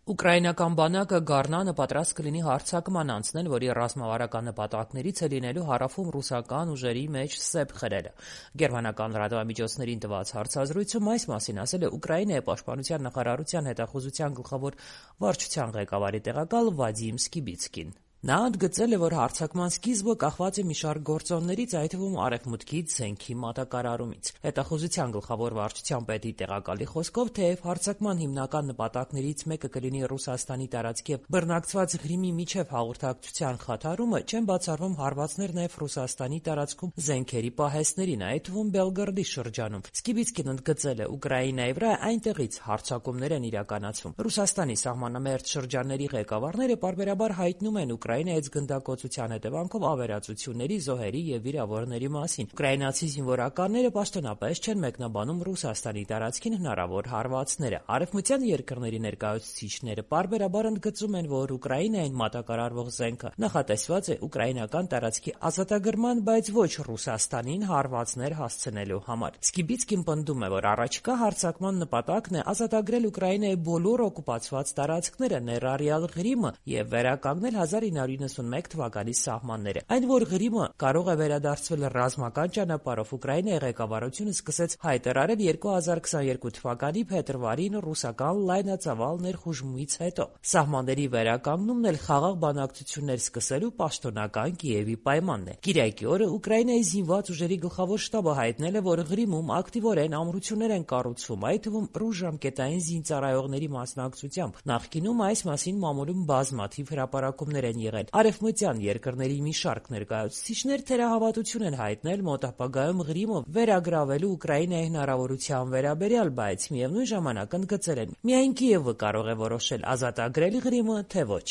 Ուկրաինական բանակը գարնանը պատրաստ կլինի հարձակման անցնել, որի ռազմավարական նպատակներից է լինելու հարավում ռուսական ուժերի մեջ սեպ խրելը։ Գերմանական լրատվամիջոցներին տված հարցազրույցում այս մասին ասել է Ուկրաինայի պաշտպանության նախարարության հետախուզության գլխավոր վարչության ղեկավարի տեղակալ Վադիմ Սկիբիցկին։ Նա ընդգծել է, որ հարձակման սկիզբը կախված է մի շարք գործոններից, այդ թվում արևմուտքից, զենքի մատակարարումից։ Հետախուզության գլխավոր վարչության պետի տեղակալի խոսքով, թեև հարձակման հիմնական նպատակներից մեկը կլինի Ռուսաստանի տարածքի և բռնակցված Ղրիմի միջև հաղորդակցության խաթարումը, չեն բացառվում հարվածներ նաև Ռուսաստանի տարածքում զենքերի պահեստներին, այդ թվում Բելգորոդի շրջանում։ Սկիբիցկին ընդգծել է, Ուկրաինայի վրա այնտեղից հարձակումներ են իրականացվում։ Ռուսաստանի սահմանամերձ շրջանների ղեկավարները պարբերաբար հայտնում են Ուկրաինայից գնդակոծության հետևանքով ավերածությունների, զոհերի և վիրավորների մասին։ Ուկրաինացի զինվորականները պաշտոնապես չեն մեկնաբանում Ռուսաստանի տարածքին հնարավոր հարվածները։ Արևմտյան երկրների ներկայացուցիչները պարբերաբար ընդգծում են, որ Ուկրաինային մատակարարվող զենքը նախատեսված է ուկրաինական տարածքի ազատագրման, բայց ոչ Ռուսաստանին հարվածներ հասցնելու համար։ Սկիբիցկին պնդում է, որ առաջիկա հարձակման նպատակն է ազատագրել Ուկրաինայի բոլոր օկուպացված տարածքները, ներառյալ Ղրիմը, և վերականգնել 1991 թվականի սահմանները։ Այն, որ Ղրիմը կարող է վերադարձվել ռազմական ճանապարհով, Ուկրաինայի ղեկավարությունը սկսեց հայտարարել 2022 թվականի փետրվարին ռուսական լայնածավալ ներխուժումից հետո։ Սահմանների վերականգնումն էլ խաղաղ բանակցություններ սկսելու պաշտոնական Կիևի պայմանն է։ Կիրակի օրը Ուկրաինայի զինված ուժերի գլխավոր շտաբը հայտնել է, որ Ղրիմում ակտիվորեն ամրություններ են կառուցվում, այդ թվում ռուս ժամկետային զինծառայողների մասնակցությամբ։ Նախկինում այս մասին մամուլում բազմաթիվ հրապարակումներ են եղել։ Արևմտյան երկրների մի շարք ներկայացուցիչներ թերահավատություն են հայտնել մոտ ապագայում Ղրիմը վերագրավելու Ուկրաինայի հնարավորության վերաբերյալ, բայց միևնույն ժամանակ ընդգծել են՝ միայն Կիևը կարող է որոշել ազատագրել Ղրիմը, թե ոչ։